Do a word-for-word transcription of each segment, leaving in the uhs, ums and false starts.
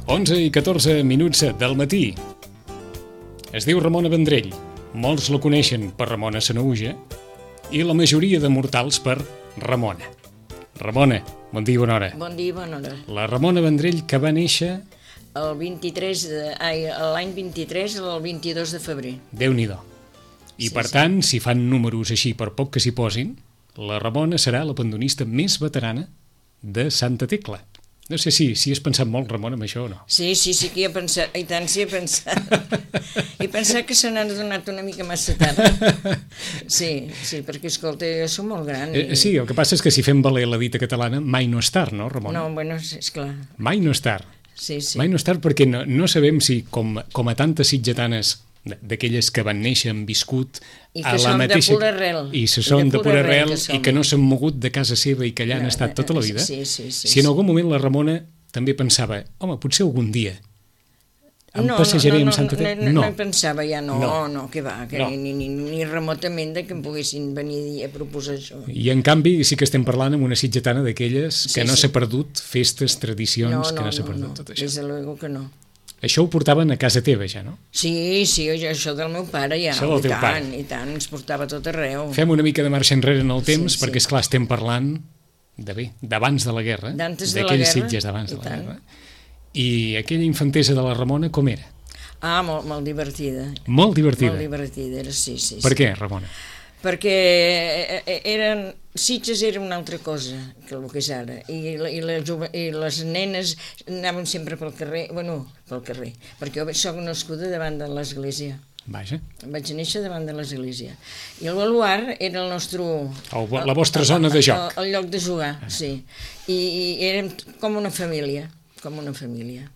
onze i catorze minuts del matí. Es diu Ramona Vendrell. Molts la coneixen per Ramona Sanaüja i la majoria de mortals per Ramona. Ramona, bon dia i bona hora. Bon dia i bona hora. La Ramona Vendrell que va néixer... El vint-i-tres de, ai, l'any vint-i-tres al vint-i-dos de febrer. Déu-n'hi-do. I Sí, per sí. tant, si fan números així per poc que s'hi posin, la Ramona serà la pandonista més veterana de Santa Tecla. No sé si, si has pensat molt, Ramona, amb això o no. Sí, sí, sí que hi he pensat, i tant sí he pensat. He pensat que se n'han donat una mica massa tard. Sí, sí, perquè, escolta, jo soc molt gran. I... Eh, sí, el que passa és que si fem valer la dita catalana, mai no és tard, no, Ramona? No, bueno, és clar. Mai no és tard. Sí, sí. Mai no és tard perquè no, no sabem si, com, com a tantes sitgetanes d'aquelles que van néixer, han viscut I a que la són mateixa... de pura arrel. I se I són de de pura arrel que som. i que no s'han mogut de casa seva i que allà han No, estat tota la vida. sí, sí, sí, si en sí. algun moment la Ramona també pensava, home, potser algun dia em no, passejaré no, no, amb Santa no, Tecla. no, no, no pensava ja, no, No. no, no que va, que No. ni, ni, ni remotament de que em poguessin venir a proposar això. I en canvi sí que estem parlant amb una sitgetana d'aquelles que Sí, no sí. s'ha perdut festes, tradicions, No, que no, no s'ha no, perdut no, tot això. des de luego que no. Això ho portaven a casa teva ja, no? Sí, sí, jo, això del meu pare ja, Això del i teu tant, pare. i tant, ens portava tot arreu. Fem una mica de marxa enrere en el temps, Sí, sí. perquè, esclar, estem parlant de bé, d'abans de la guerra, D'antes de la d'aquells guerra, sitges d'abans de i la tant. guerra. I aquella infantesa de la Ramona, com era? Ah, molt, molt divertida. Molt divertida. Molt divertida, era, sí, sí. Per sí. què, Ramona? Perquè eh, eh, eren, Sitges era una altra cosa que el que és ara, i, la- i, la, jove- i les nenes anaven sempre pel carrer, bueno, pel carrer, perquè jo soc nascuda davant de l'església. Vaja, Vaig néixer davant de l'església. I el baluart era el nostre... El vo- la vostra zona de joc. El, el lloc de jugar, sí. I, i érem com una família, com una família.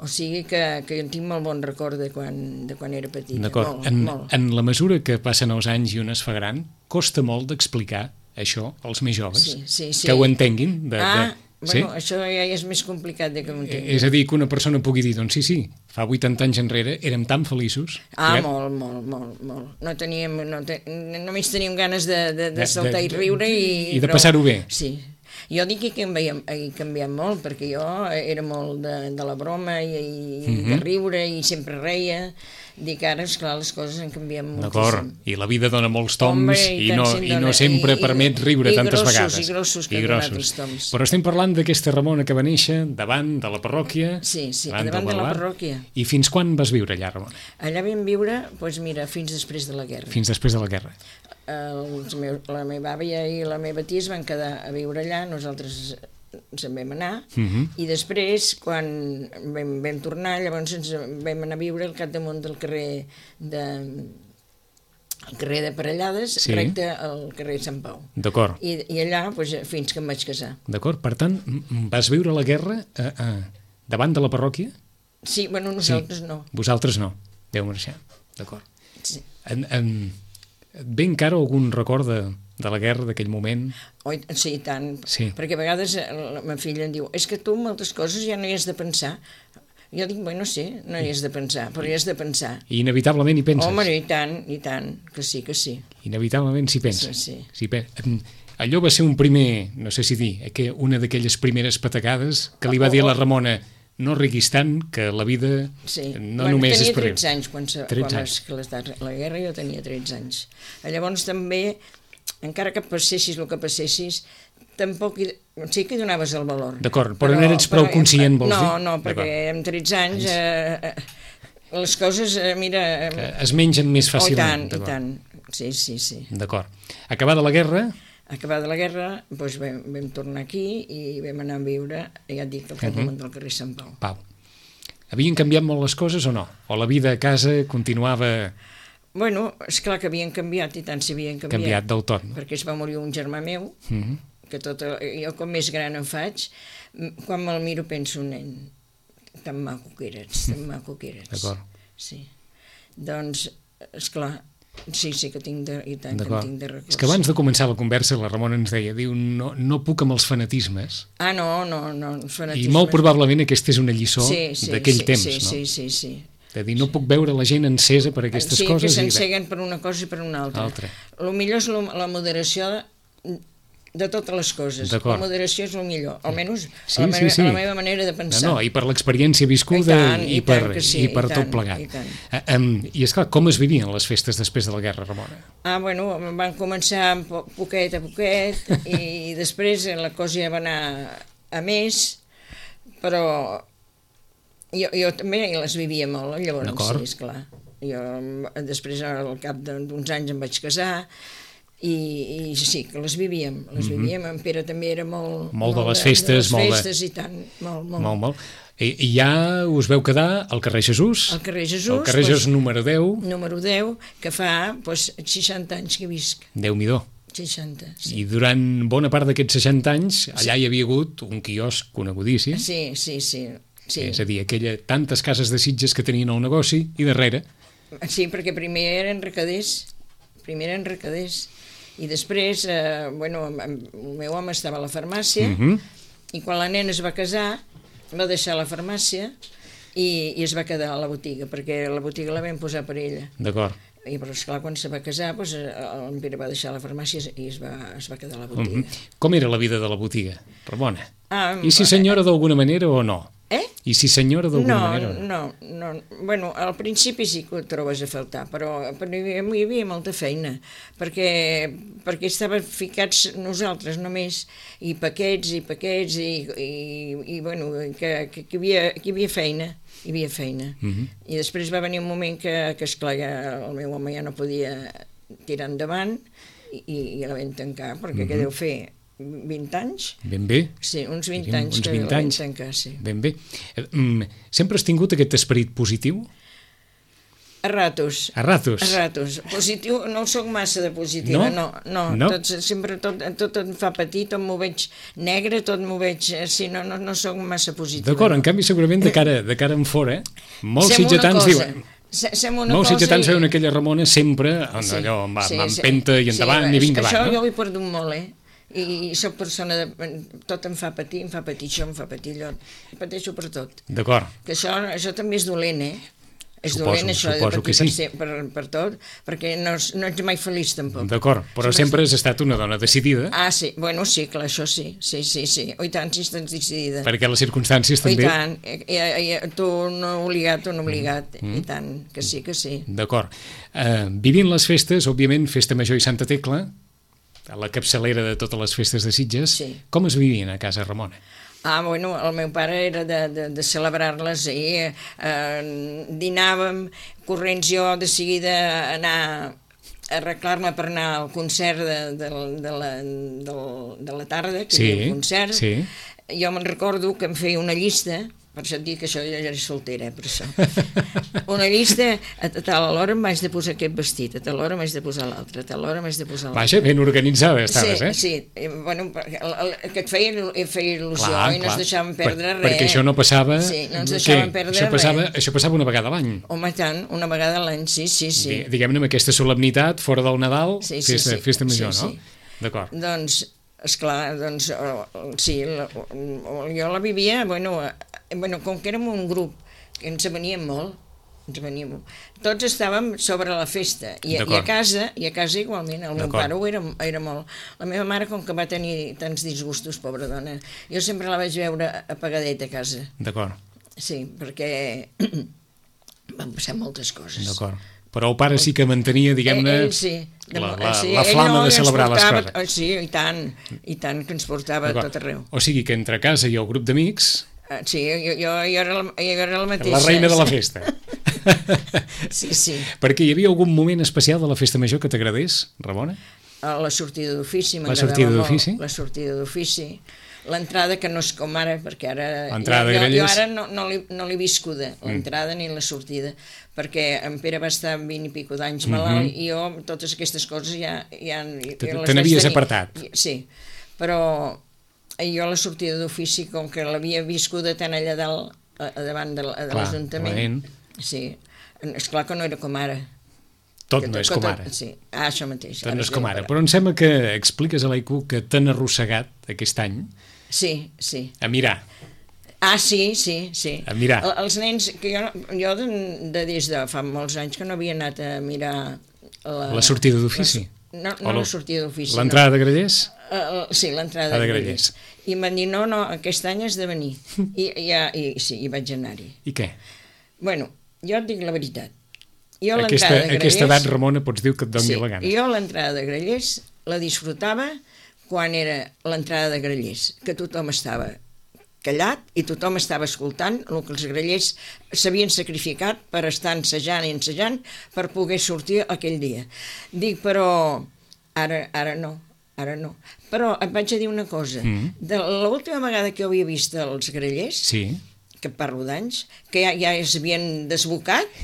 O sigui que, que jo en tinc molt bon record de quan, de quan era petita. d'acord. Molt, En, molt. en la mesura que passen els anys i un es fa gran, costa molt d'explicar això als més joves, Sí, sí, sí. que ho entenguin. De, Ah, de... bueno, això ja és més complicat de que ho entengui. És a dir, que una persona pugui dir, doncs sí, sí, fa vuitanta anys enrere érem tan feliços... Ah, que- molt, molt, molt, molt. No teníem, no te, només teníem ganes de, de, De- de saltar de- i riure i... i de prou. passar-ho bé. Sí. Jo dic que he canviat, he canviat molt, perquè jo era molt de, de la broma i, i Mhm. de riure i sempre reia. Dic, ara, esclar, les coses han canviat D'acord, moltíssim. i la vida dona molts toms Home, i, i tant no, se'n i dona. no sempre I- i- permet riure i tantes grossos, vegades. i grossos que I han donat grossos. els toms. Però estem parlant d'aquesta Ramona que va néixer davant de la parròquia, Sí, sí, del davant de la baluart. parròquia. I fins quan vas viure allà, Ramona? Allà vam viure, doncs mira, fins després de la guerra. Fins després de la guerra. Els meu, la meva àvia i la meva tia es van quedar a viure allà, nosaltres ens en vam anar, Mhm. i després, quan vam, vam tornar, llavors ens vam anar a viure al capdamunt del carrer de, el carrer de Parellades, Sí. recte al carrer Sant Pau. D'acord, I, i allà, doncs, fins que em vaig casar. d'acord. Per tant, m- vas viure la guerra eh, eh, davant de la parròquia? Sí, bueno, nosaltres sí. no. Vosaltres no. Deu marxar. D'acord. Sí. En, en, et ve encara algun record de, de la guerra d'aquell moment? Oi, sí, i tant. Sí. Perquè a vegades eh, la meva filla em diu, és que tu moltes coses ja no hi has de pensar. Jo dic, bueno, sí, no hi has de pensar, però hi has de pensar. I inevitablement hi penses? Home, i tant, i tant, que sí, que sí. Inevitablement s'hi penses. Sí, sí. Sí, pe- em, allò va ser un primer, no sé si dir, eh, que una d'aquelles primeres patacades que li va dir a la Ramona, no riguis tant, que la vida Sí. no bueno, només és tenia per... tretze anys quan, se, tretze quan anys. va esclatar la guerra, jo tenia tretze anys. Llavors també, encara que passessis el que passessis, tampoc hi, sí que hi donaves el valor. D'acord, però no eres prou conscient, vols no, dir? No, no, perquè D'acord. amb tretze anys eh, eh, les coses, eh, mira... Que es mengen més Oh, i fàcilment. tant, i d'acord. tant. Sí, sí, sí. D'acord. Acabada la guerra, Acabada la guerra, doncs vam, vam tornar aquí i vam anar a viure, ja et dic, al capdamunt del carrer Sant Pau. Pau, havien canviat molt les coses o no? O la vida a casa continuava Bueno, esclar que havien canviat, i tant s'havien canviat. canviat del tot, no? Perquè es va morir un germà meu, Mhm. que tot, el- jo com més gran em faig, m- quan me'l miro penso, nen, tan maco que eres, tan maco que eres. D'acord. Sí. Doncs, esclar, sí, sí que tinc de, i tant que en D'acord. tinc de records. És que abans de començar la conversa la Ramona ens deia, diu, no, no puc amb els fanatismes, Ah, no, no, no, els i fanatismes. molt probablement aquesta és una lliçó sí, sí, d'aquell sí, temps, sí, no? Sí, sí, sí. De dir, no puc veure la gent encesa per aquestes sí, coses. que i bé, s'enceguen per una cosa i per una altra. Altra. El millor és lo- la moderació de totes les coses. La moderació és el millor, almenys sí, la, meva, sí, sí. la meva manera de pensar. No, no, i per l'experiència viscuda i, tant, i, i per, sí, i per i tot tant, plegat. I, uh, um, I esclar, com es vivien les festes després de la guerra, Ramona? Ah, bueno, van començar poquet a poquet i després la cosa ja va anar a més, però jo, jo també les vivia molt, llavors, sí, esclar. Jo després, al cap d'uns anys, em vaig casar i, i sí, que les vivíem, les vivíem. Mm-hmm. En Pere també era molt... Molt de les festes, de les molt festes de... i tant, molt, molt. Molt, molt. I, I ja us veu quedar al carrer Jesús? Al carrer Jesús. Al carrer Jesús pues, número deu. Número deu, que fa pues, seixanta anys que visc. Déu-n'hi-do. seixanta, sí. I durant bona part d'aquests seixanta anys, allà sí. Hi havia hagut un quiosc conegudíssim. Sí, sí, sí. sí. És a dir, aquella, tantes cases de Sitges que tenien el negoci i darrere... Sí, perquè primer eren recaders, primer eren recaders, i després, eh, bueno, el meu home estava a la farmàcia, uh-huh. i quan la nena es va casar, va deixar la farmàcia i, i es va quedar a la botiga, perquè la botiga la vam posar per ella. D'acord. I, però, esclar, quan se va casar, doncs, el Pere va deixar la farmàcia i es va, es va quedar a la botiga. Uh-huh. Com era la vida de la botiga, Ramona? Ah, I si senyora d'alguna manera o no? Eh? I si senyora d'alguna no, manera? No, no, no. Bueno, al principi sí que ho trobes a faltar, però, però hi, havia, hi havia molta feina, perquè, perquè estàvem ficats nosaltres només, i paquets, i paquets, i, i, i bueno, que, que, que, hi havia, que hi havia feina, hi havia feina. Uh-huh. I després va venir un moment que, que esclar, ja, el meu home ja no podia tirar endavant, i, i la vam tancar, perquè uh-huh. què deu fer? vint anys? Ben bé. Sí, uns vint Diríem, anys uns vint que anys. Vam tancar, sí. Ben bé. Sempre has tingut aquest esperit positiu? A ratos. A ratos? A ratos. Positiu, no soc massa de positiva, no, no. no. no? Tot, sempre tot, tot em fa patir, tot m'ho veig negre, tot m'ho veig... Sí, no, no, no soc massa positiva. D'acord, no. En canvi segurament de cara, de cara en fora, molts sitgetans diuen... Molts sitgetans veuen aquella Ramona sempre sí, allò, amb, sí, amb empenta i endavant sí, i vinga això va, no? Jo ho he perdut molt, eh? I soc persona de... tot em fa patir, em fa patir això, em fa patir allò. Pateixo per tot. D'acord. Que això, això també és dolent, eh? És suposo, dolent això de patir que sí. per, per, per tot, perquè no, no ets mai feliç tampoc. D'acord, però sempre, sempre has estat una dona decidida. Ah, sí, bueno, sí, clar, això sí, sí, sí, sí. O i tant, si estàs decidida. Perquè les circumstàncies també... O i tant, i, i, i, tu no obligat, tu no obligat, mm. i tant, que sí, que sí. D'acord. Uh, vivint les festes, òbviament, Festa Major i Santa Tecla, a la capçalera de totes les festes de Sitges, sí. Com es vivien a casa Ramona? Ah, bueno, el meu pare era de, de, de celebrar-les i eh, dinàvem corrents jo de seguida anar a arreglar-me per anar al concert de, de, de, la, de, de la tarda, que sí, hi havia un concert. Sí. Jo me'n recordo que em feia una llista, per això et dic que això ja era soltera, per això. Una llista, a tal hora m'haig de posar aquest vestit, a tal hora m'haig de posar l'altre, a tal hora m'haig de posar l'altre. Vaja, ben organitzada estaves, sí, eh? Sí, bueno, que et feia, feia il·lusió clar, i no clar. Ens deixàvem perdre per, res. Perquè això no passava... Sí, no ens deixàvem perdre això passava, res. Això passava una vegada a l'any. Home, tant, una vegada a l'any, sí, sí, sí. Diguem-ne, amb aquesta solemnitat, fora del Nadal, sí, sí, festa, sí, festa major, sí, no? Sí. D'acord. Doncs, esclar, doncs, sí, la, jo la vivia, bueno, bueno, com que érem un grup, que ens veníem molt, ens veníem molt, tots estàvem sobre la festa, i, i a casa, i a casa igualment, el meu pare ho era, era molt. La meva mare, com que va tenir tants disgustos, pobra dona, jo sempre la vaig veure apagadeta a casa. D'acord. Sí, perquè van passar moltes coses. D'acord. Però el pare sí que mantenia, diguem-ne, ell, sí, de, la, la, sí, la flama no, de celebrar portava, les coses. Sí, i tant, i tant, que ens portava a tot arreu. O sigui que entre casa i el grup d'amics... Uh, sí, jo, jo, jo, era la, jo era la mateixa. La reina de la festa. Sí, sí. Perquè hi havia algun moment especial de la festa major que t'agradés, Ramona? Uh, la sortida d'ofici, la sortida d'ofici? La sortida d'ofici. L'entrada, que no és com ara, perquè ara... L'entrada jo, jo, jo ara no, no l'he no viscuda, l'entrada mm. ni la sortida, perquè en Pere va estar vint i pico d'anys malalt, mm-hmm. i jo totes aquestes coses ja... ja Te n'havies apartat. Sí, però jo la sortida d'ofici, com que l'havia viscuda tant allà dalt, a, a davant de, de l'Ajuntament, sí, esclar que no era com ara. Tot no és com ara. Sí, ah, això mateix. Tot no és com ara, però em sembla que expliques a l'Aicu que t'han arrossegat aquest any. Sí, sí. A mirar. Ah, sí, sí, sí. A mirar. El, els nens, que jo, jo de, de des de fa molts anys que no havia anat a mirar... La, la sortida d'ofici? No, no la, la sortida d'ofici. L'entrada no. de grellers? Uh, sí, l'entrada de Grallers. I em van dir, no, no, aquest any has de venir. I, ja, i sí, i vaig anar-hi. I què? Bueno, jo et dic la veritat. Jo aquesta, de Grallers, aquesta edat, Ramona, pots dir que et doni sí, la gana. Jo l'entrada de Grallers la disfrutava quan era l'entrada de Grallers, que tothom estava callat i tothom estava escoltant el que els grallers s'havien sacrificat per estar ensejant i ensejant per poder sortir aquell dia. Dic, però ara, ara no. Ara no. Però et vaig a dir una cosa. Mm. De l'última vegada que jo havia vist els grallers, sí. que parlo d'anys, que ja, ja s'havien desbocat,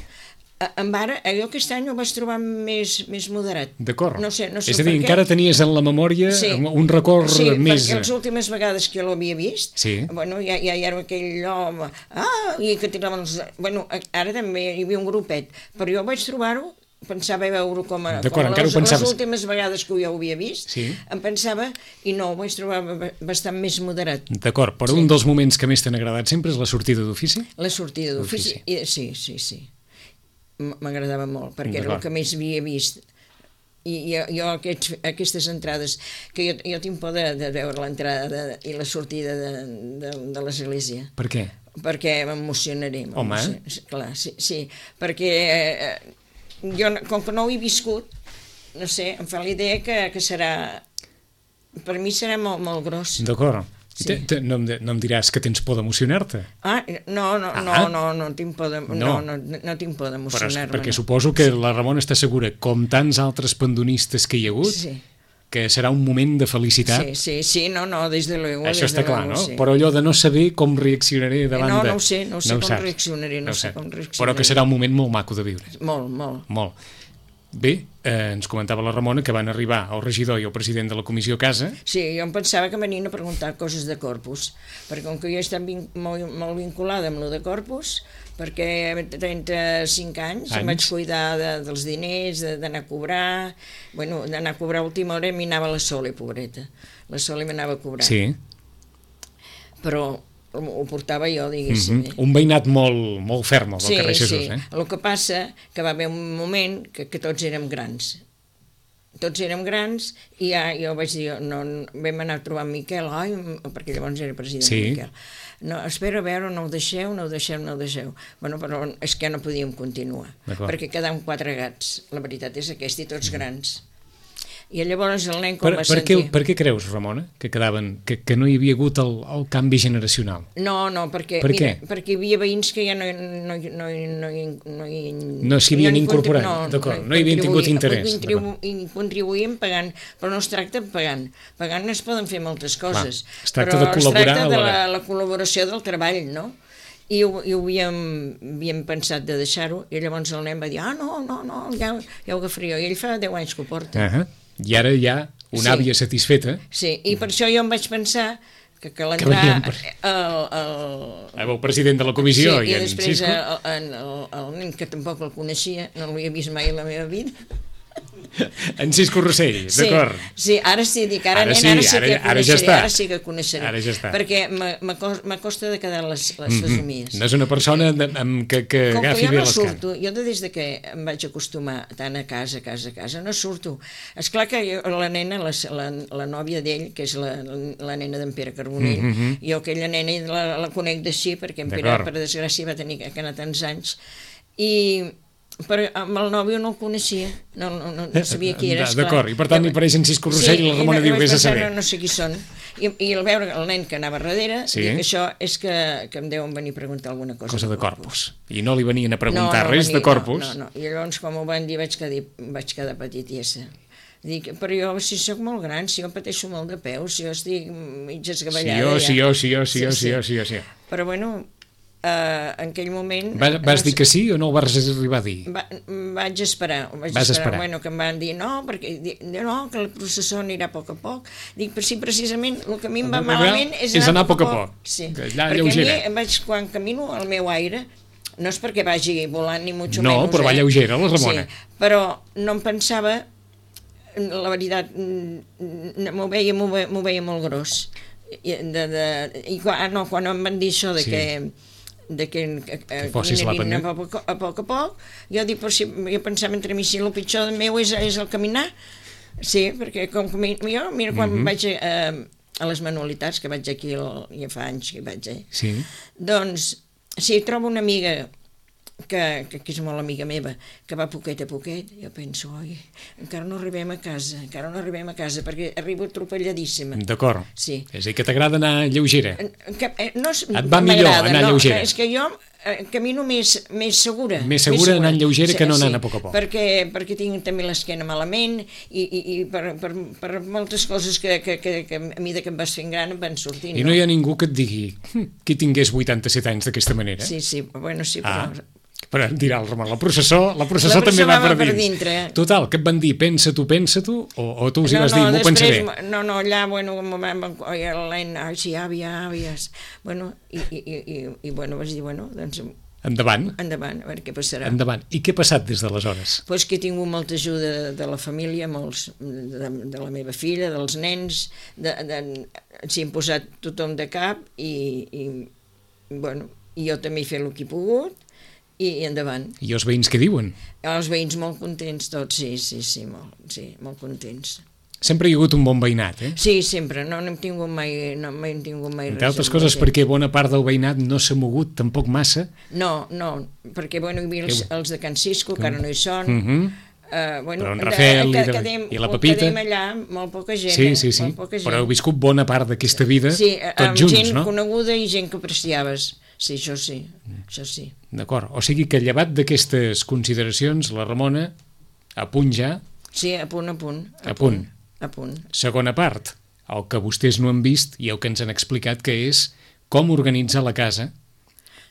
en ara, jo aquest any ho vaig trobar més, més moderat. D'acord. No sé, no sé és a dir, encara tenies en la memòria sí. un record sí, més... Sí, perquè les últimes vegades que jo l'havia vist, sí. bueno, ja, ja hi era aquell home, ah, i que tiraven els... Bueno, ara també hi havia un grupet, però jo vaig trobar-ho, pensava veure com, a, com les, les últimes vegades que jo ho havia vist, sí. em pensava, i no, ho vaig trobar bastant més moderat. D'acord, però sí. un dels moments que més t'han agradat sempre és la sortida d'ofici? La sortida d'ofici, sí, sí, sí. M'agradava molt, perquè era el que més havia vist. I jo, jo aquests, aquestes entrades, que jo, jo tinc por de, de veure l'entrada i la sortida de, de, de l'església. Per què? Perquè m'emocionaré. Home! Clar, sí, sí, perquè... Eh, jo, com que no ho he viscut, no sé, em fa la idea que, que serà... Per mi serà molt, molt gros. D'acord. Sí. No, em, no em diràs que tens por d'emocionar-te? Ah, no, no, ah. no, no, no tinc por de, no. No, no, no tinc por d'emocionar-me. Perquè no. suposo que la Ramona està segura, com tants altres pandonistes que hi ha hagut, sí. que serà un moment de felicitat. Sí, sí, sí, no, no, des de luego. Això des està de clar, luego, no? Sí. Però allò de no saber com reaccionaré davant no, de... No, no ho sé, no sé no com saps. reaccionaré, no, no sé com reaccionaré. Però que serà un moment molt maco de viure. Molt, molt. Molt. Bé, eh, ens comentava la Ramona que van arribar el regidor i el president de la comissió a casa. Sí, jo em pensava que venien a preguntar coses de Corpus, perquè com que jo he estat vin molt, molt vinculada amb lo de Corpus, perquè trenta-cinc anys, anys. em vaig cuidar de, dels diners, d'anar a cobrar, bueno, d'anar a cobrar a última hora m'hi anava la Sole, pobreta. La Sole m'anava a cobrar. Sí. Però ho portava jo, diguéssim. Mm-hmm. Un veïnat molt, molt ferm, el del sí, carrer Jesús. Sí, eh? El que passa que va haver un moment que, que tots érem grans. Tots érem grans i ja jo vaig dir, no, vam anar a trobar en Miquel, ai, perquè llavors era president sí. Miquel. No, espera a veure, no ho deixeu, no ho deixeu, no ho deixeu. Bueno, però és que no podíem continuar, perquè quedàvem quatre gats, la veritat és aquesta, i tots mm. grans. I llavors el nen com per, va per sentir... Què, per què creus, Ramona, que quedaven, que, que no hi havia hagut el, el canvi generacional? No, no, perquè, per mira, perquè hi havia veïns que ja no, no, no, no, no, no s'hi havien incorporat, no, d'acord, no, no hi havien tingut interès. Contribu I contribuïen pagant, però no es tracta pagant. Pagant es poden fer moltes coses, Va, es tracta però de col·laborar es tracta de la, la... la col·laboració del treball, no? I ho, i ho havíem, havíem pensat de deixar-ho, i llavors el nen va dir, ah, no, no, no, ja, ja ho agafaria jo, i ell fa deu anys que ho porta. Uh -huh. I ara hi ha una àvia sí. satisfeta. Sí, i per això jo em vaig pensar que, que l'entrar per... el, el... el president de la comissió sí, i, i en després Cisco. El, el, el, el nen que tampoc el coneixia, no l'havia vist mai a la meva vida. En Cisco Rossell, sí, d'acord. Sí, ara sí, dic, ara, ara, nen, sí, ara sí ara, que ara ja coneixeré, ara sí que coneixeré. Ara ja està. Perquè m'acosta de quedar les, les mm -hmm. fesomies. No és una persona de, amb que, que Com agafi que bé no les surto, canes. Jo des de que em vaig acostumar tant a casa, a casa, a casa, no surto. Esclar que jo, la nena, la, la, la nòvia d'ell, que és la, la nena d'en Pere Carbonell, mm -hmm. jo aquella nena la, la conec d'així, perquè en Pere, per desgràcia, va tenir que anar tants anys, i... però amb el nòvio no el coneixia, no, no, no sabia qui era, esclar. D'acord, i per tant hi apareix en Cisco Rossell sí, i la Ramona no, diu, vés a saber. No, no sé qui són. I, i al veure el nen que anava darrere, sí. dic, això és que, que em deuen venir a preguntar alguna cosa. Cosa de Corpus. I no li venien a preguntar no, no res venia, de Corpus? No, no, no, i llavors quan m'ho van dir vaig quedar, vaig quedar petitiesa. Dic, però jo si sóc molt gran, si jo pateixo molt de peus, si jo estic mig esgavellada... Sí, jo, sí, jo, sí, jo, sí, jo, sí, jo, sí. Però bueno... Uh, en aquell moment... Va, vas no, dir que sí o no ho vas arribar a dir? Va, vaig esperar. Vaig vas esperar. esperar. Bueno, que em van dir no, perquè no, que el processó anirà a poc a poc. Dic, però sí, precisament, el que a mi em va malament és, és anar a poc a poc. poc. Sí. Allà perquè lleugera. a mi, vaig, quan camino al meu aire, no és perquè vagi volant ni mucho no, menys. No, però va eh? lleugera, la Ramona. Sí, però no em pensava, la veritat, m'ho veia, m'ho veia molt gros. I, de, de, i quan, no, quan em van dir això de sí. que de que, que, que caminarin a poc, a poc a poc, jo dic, però si jo pensava entre mi, si el pitjor meu és, és el caminar, Sí, perquè com que mi- jo, mira, quan Mhm. vaig a, a les manualitats, que vaig aquí, el, ja fa anys que vaig, eh? Sí. Doncs, si trobo una amiga que, que, que és molt amiga meva, que va poquet a poquet, jo penso, oi, encara no arribem a casa, encara no arribem a casa, perquè arribo atropelladíssima. D'acord. Sí. És a dir, que t'agrada anar lleugera. Que, eh, no és, Et va millor m'agrada, anar no, lleugera. És que jo eh, camino més, més segura. Més segura anant lleugera que no anant a poc a poc. Perquè, perquè tinc també l'esquena malament i, i, i per, per, per moltes coses que, que, que, que a mesura que em vas fent gran em van sortint. I no hi ha ningú que et digui "Hm, qui tingués vuitanta-set anys d'aquesta manera. Sí, sí, bueno, sí, però... Ah. Però dirà el Ramon, la processó, la processó La també processó va va per per dins. dintre. Total, què et van dir? Pensa tu, pensa tu? O, o tu els hi No, vas no, dir, m'ho després, pensaré? no, no, allà, bueno, com vam, oi, l'Aina, ai, sí, àvia, àvies, bueno, i, i, i, i, i bueno, vas dir, bueno, doncs, Endavant, endavant, a veure què passarà. endavant. I què ha passat des d'aleshores? Pues que he tingut molta ajuda de la família, molts, de, de la meva filla, dels nens, de, de, s'hi han posat tothom de cap i, i, bueno, i jo també he fet el que he pogut i, i endavant. I els veïns què diuen? Els veïns molt contents tots, sí, sí, sí, molt, sí, molt contents. Sempre hi ha hagut un bon veïnat, eh? Sí, sempre, no n'hem tingut mai, no mai hem tingut mai Entre res. altres amb la coses gent. perquè bona part del veïnat no s'ha mogut tampoc massa. No, no, perquè, bueno, hi havia els, els de Can Cisco, que ara no hi són, Uh -huh. Uh, bueno, Però en Rafel i, de, quedem, i la Pepita... Quedem allà, molt poca gent, Sí, eh? sí, sí, Molt poca gent. però heu viscut bona part d'aquesta vida sí, tots amb junts, gent no? coneguda i gent que apreciaves. Sí, això sí, això sí. D'acord, o sigui que llevat d'aquestes consideracions, la Ramona, a punt ja, Sí, a punt, a punt. A punt. A punt. segona part, el que vostès no han vist i el que ens han explicat, que és com organitzar la casa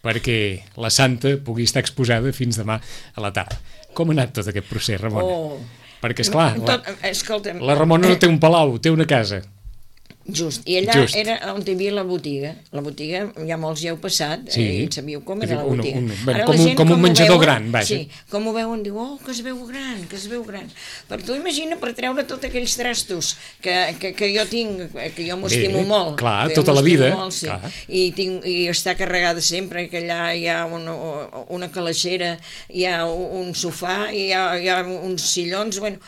perquè la Santa pugui estar exposada fins demà a la tarda. Com ha anat tot aquest procés, Ramona? Oh. Perquè, esclar, la, Tot, escolta'm, la Ramona no té un palau, té una casa. Just, i allà Just. era on hi havia la botiga. La botiga, ja molts ja heu passat, Sí. eh, i sabíeu com És era la un- botiga. un- bueno, Ara com la un- gent, com un ho menjador veuen, gran, vaja. Sí, com ho veuen, diu, oh, que es veu gran, que es veu gran. Però tu imagina per treure tots aquells trastos que, que, que jo tinc, que jo m'ho Bé, estimo molt. clar, que jo tota la m'estimo vida, molt, sí. clar. I, tinc, I està carregada sempre, que allà hi ha una, una calaixera, hi ha un sofà, hi ha, hi ha uns sillons, bueno,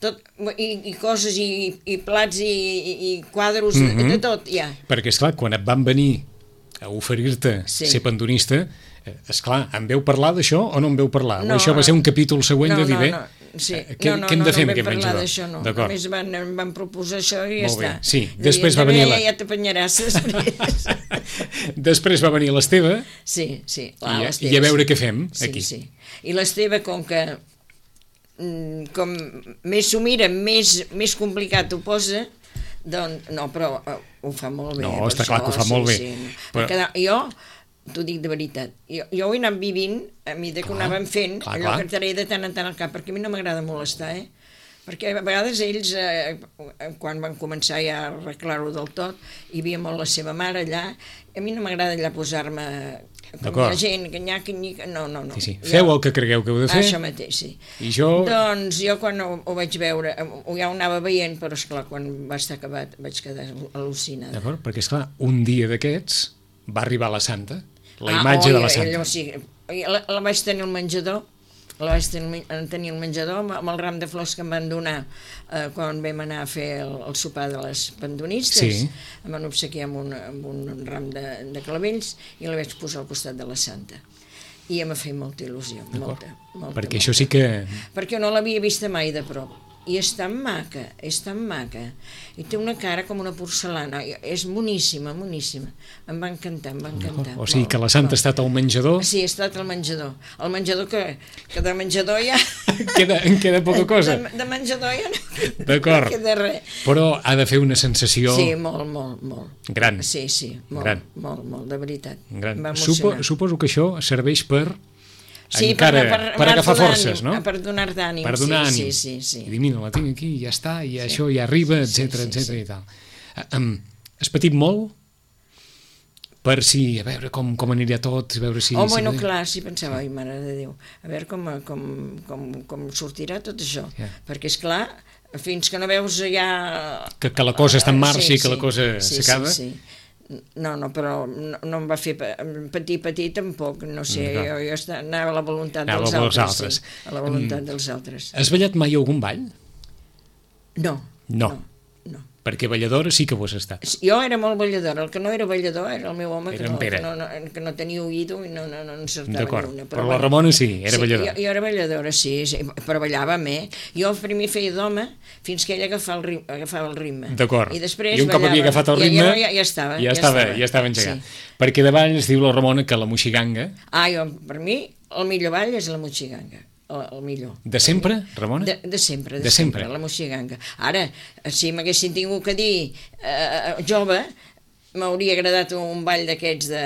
tot, i, i coses, i, i plats, i, i, i quadros, mm -hmm. de tot, ja. Perquè, esclar, quan et van venir a oferir-te Sí. ser pendonista, eh, esclar, en veu parlar d'això o no en veu parlar? No, o això va ser un capítol següent no, de dir, no, bé, no, sí. eh, què, no, no, què hem no, de fer no, amb aquest no vam parlar menjador? d'això, no. D'acord. Només van, em van proposar això i ja Molt bé, està. sí. I Després va també venir la- Ja, ja t'apanyaràs després. Després va venir l'Esteve Sí, sí. i, Clar, a- les i a teves. veure què fem Sí, aquí. sí. I l'Esteve, com que mm, com més s'ho mira, més, més complicat ho posa, doncs, no, però eh, ho fa molt bé. No, per està clar que ho fa sí, molt bé. Sí, no. Però- Però... Jo, t'ho dic de veritat, jo, jo ho he anat vivint a mesura que ho Clar, anàvem fent, clar, allò clar. que t'aré de tant en tant al cap, perquè a mi no m'agrada molestar, eh? Perquè a vegades ells, eh, quan van començar ja a arreglar-ho del tot, hi havia molt la seva mare allà, a mi no m'agrada allà posar-me com hi D'acord. ha gent, que nyaca, nyica, no, no, no. Sí, sí. Jo- Feu el que cregueu que heu de fer Això mateix, sí. i jo... Doncs jo quan ho, ho vaig veure, ho ja ho anava veient, però esclar, quan va estar acabat vaig quedar al·lucinada. D'acord? Perquè, esclar, un dia d'aquests va arribar la Santa, la Ah, imatge oi, de la Santa. Allò, sí, la, la vaig tenir al menjador, la vaig tenir, tenir al menjador amb, amb el ram de flors que em van donar eh, quan vam anar a fer el, el sopar de les pendonistes. Sí. Em van obsequiar amb un, amb un ram de, de clavells i la vaig posar al costat de la Santa. I em va fer molta il·lusió, molta, molta. Perquè molta. això sí que... Perquè no l'havia vista mai de prop. I és tan maca, és tan maca. I té una cara com una porcelana. I és moníssima, moníssima. Em va encantar, em va encantar. O sigui molt, que la Santa ha molt. estat al menjador, Sí, he estat al menjador. El menjador que, que de menjador ja... queda, en queda poca cosa. De, de menjador ja no, D'acord. no queda res. Però ha de fer una sensació Sí, molt, molt, molt. gran. Sí, sí, molt, Gran. molt, molt, de veritat. gran. Em va Supo, emocionar. suposo que això serveix per Sí, encara, per, per, per agafar anar-te forces, d'ànim, no? Per donar d'ànim, Per donar sí, ànim. sí, sí, I sí. dir, mira, la tinc aquí, ja està, i això ja arriba, etcètera, sí, etcètera sí. i tal. Uh, um, has patit molt? Per si, a veure com, com aniria tot, a veure si... Oh, si bueno, clar, sí, pensava, ai, mare de Déu, a veure com, com, com, com sortirà tot això. Ja. Perquè, és clar, fins que no veus ja... Que, que la cosa està en marxa Sí, i que la sí, cosa sí, s'acaba? Sí, sí. No, no, però no, no em va fer pa- patir, patir tampoc, no sé, Mm, jo, jo esta- anava a la voluntat Anava dels pels altres, altres. sí, a la voluntat dels altres. Has ballat mai algun ball? No. No. No. no. Perquè balladora sí que ho has estat. Jo era molt balladora, el que no era ballador era el meu home, que Era en no, Pere. que no, no, que no tenia oïdo i no, no, no encertava D'acord, ni una. però la Ramona sí, era sí, balladora. Jo, jo era balladora, sí, sí, però ballàvem, eh? Jo primer feia d'home fins que ella agafava el ritme. Agafava el ritme. D'acord, I després i un cop ballava. havia agafat el ritme, ja, ja, ja, estava, ja, estava, ja estava engegat. Sí. Perquè de ball es diu la Ramona que la moixiganga... Ah, jo, per mi, el millor ball és la moixiganga. El, el millor. De sempre, Ramona? De, de sempre, de, de sempre. sempre, la moixiganga. Ara, si m'haguessin tingut que dir eh, jove, m'hauria agradat un ball d'aquests de,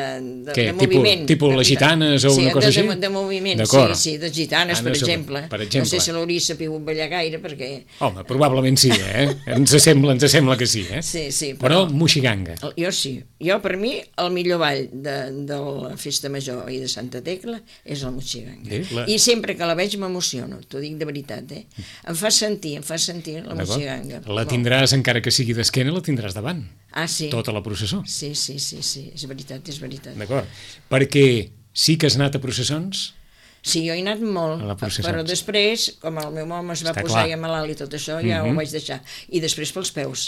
de, Què? de moviment. Tipus les gitanes o sí, una cosa de, així? De, de moviment, sí, sí, de gitanes, per exemple. per exemple. No sé si l'hauria sapigut ballar gaire, perquè... Home, probablement sí, eh? Ens sembla, ens sembla que sí, eh? Sí, sí, però... però... moixiganga. Jo sí. Jo, per mi, el millor ball de, de la Festa Major i de Santa Tecla és el moixiganga. Sí, la... I sempre que la veig m'emociono, t'ho dic de veritat, eh? Em fa sentir, em fa sentir la moixiganga. La tindràs, encara que sigui d'esquena, la tindràs davant. Ah, sí. Tota la processó. Sí, sí, sí, sí, és veritat, és veritat. D'acord. Perquè sí que has anat a processons? Sí, jo he anat molt, però després, com el meu home es va Està posar clar. ja malalt i tot això, ja mm-hmm. ho vaig deixar. I després pels peus.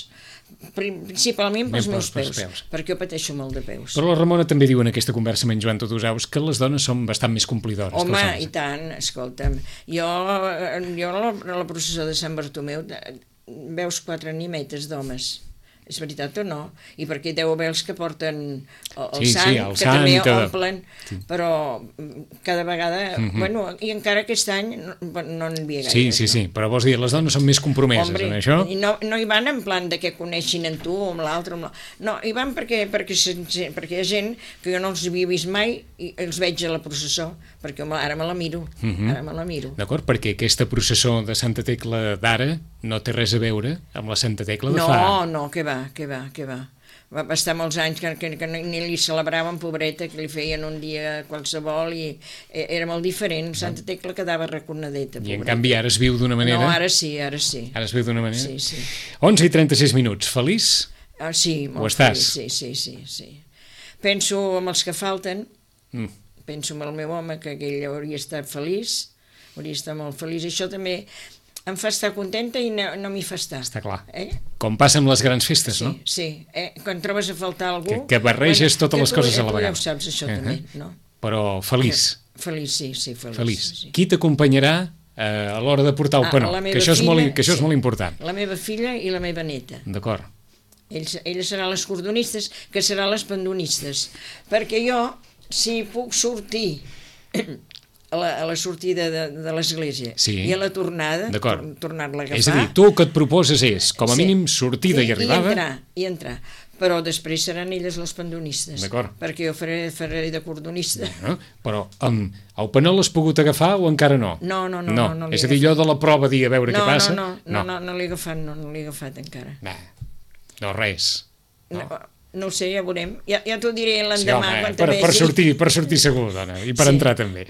Principalment pels meus peus, peus, perquè jo pateixo molt de peus. Però la Ramona també diu en aquesta conversa amb en Joan Totosaus que les dones són bastant més complidores. Home, i tant, escolta'm. Jo, jo a la, a la processó de Sant Bartomeu veus quatre animetes d'homes. És veritat o no? I perquè deu haver els que porten el, el sí, sant, sí, el que sant, també que... omplen, sí. Però cada vegada... Mm-hmm. Bueno, i encara aquest any no n'hi havia gaire. Sí, sí, no? sí, però vols dir, les dones són més compromeses Hombre, en això? I no, no hi van en plan de que coneixin en tu o amb l'altre. No, hi van perquè, perquè, perquè hi ha gent que jo no els havia vist mai i els veig a la processó, perquè ara me la miro. Mm-hmm. Ara me la miro. D'acord, perquè aquesta processó de Santa Tecla d'ara no té res a veure amb la Santa Tecla de no, fa... No, no, que va, que va, que va. Va estar molts anys que, que, que ni li celebraven, pobreta, que li feien un dia qualsevol i era molt diferent. Santa Tecla quedava raconadeta, pobreta. I en canvi ara es viu d'una manera... No, ara sí, ara sí. Ara es viu d'una manera? Sí, sí. onze i trenta-sis minuts. Feliç? Ah, sí, molt Ho estàs? feliç, sí, sí, sí, sí. Penso amb els que falten, mm. penso amb el meu home, que ell hauria estat feliç, hauria estat molt feliç. Això també em fa estar contenta i no, no m'hi fa estar. Està clar. Eh? Com passa amb les grans festes, sí, no? Sí, eh? Quan trobes a faltar algú... Que, que barreges bueno, totes les tu, coses a la vegada. Tu ja ho saps, això uh-huh. també, no? Però feliç. Que, feliç, sí, sí, feliç. Feliç. Sí. Qui t'acompanyarà eh, a l'hora de portar el penó? Ah, que això, és, filla, molt, que això sí, és molt important. La meva filla i la meva neta. D'acord. Ells, elles seran les cordonistes, que seran les pandonistes. Perquè jo, si puc sortir... A la, a la sortida de, de l'església sí. i a la tornada, tor, tornar-la a agafar... És a dir, tu el que et proposes és, com a sí. mínim, sortida sí, i arribada... I entrar, i entrar. Però després seran elles les pandonistes. D'acord. Perquè jo faré, faré de cordonista. No, però um, el penó l'has pogut agafar o encara no? No, no, no. no. no, no és a dir, allò de la prova, dir a veure no, què passa... No, no, no, no, no l'he agafat, no, no l'he agafat encara. No, no res. No. No. No ho sé, ja veurem. Ja, ja t'ho diré l'endemà, sí, quan per, te per sortir, per sortir segur, dona, i per sí. entrar també.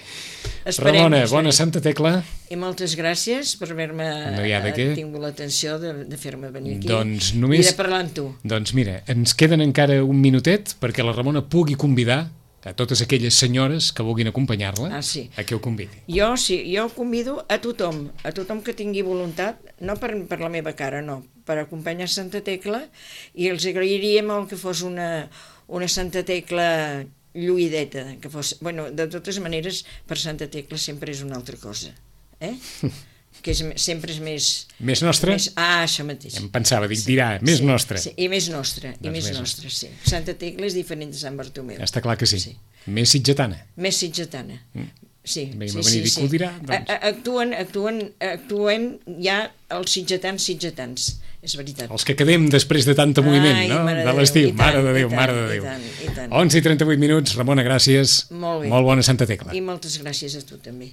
Esperem, Ramona, esperem. bona Santa Tecla. I moltes gràcies per haver-me no tingut l'atenció de, de fer-me venir aquí doncs només, i de parlar amb tu. Doncs mira, ens queden encara un minutet perquè la Ramona pugui convidar a totes aquelles senyores que vulguin acompanyar-la ah, sí. a que ho convidi. Jo sí, jo convido a tothom, a tothom que tingui voluntat, no per, per la meva cara, no, per acompanyar Santa Tecla, i els agrairia molt que fos una, una Santa Tecla lluïdeta, que fos, bueno, de totes maneres, per Santa Tecla sempre és una altra cosa, eh? que és, sempre és més... Més nostra? Més, ah, això mateix. Em pensava, dic, dirà, sí, més sí, nostra. Sí, i més nostra, doncs i més, més nostra, nostra, sí. Santa Tecla és diferent de Sant Bartomeu. Està clar que sí. sí. Més sitgetana. Més sitgetana, mm. sí. Bé, sí, sí, sí, sí. Dirà, doncs. Actuen, actuen, actuem ja els sitgetans sitgetans, és veritat. Els que quedem després de tanta moviment, Ai, no? De l'estiu, mare de Déu, tant, mare de Déu. I tant, i tant. onze i trenta-vuit minuts, Ramona, gràcies. Molt bé. Molt bona Santa Tecla. I moltes gràcies a tu també.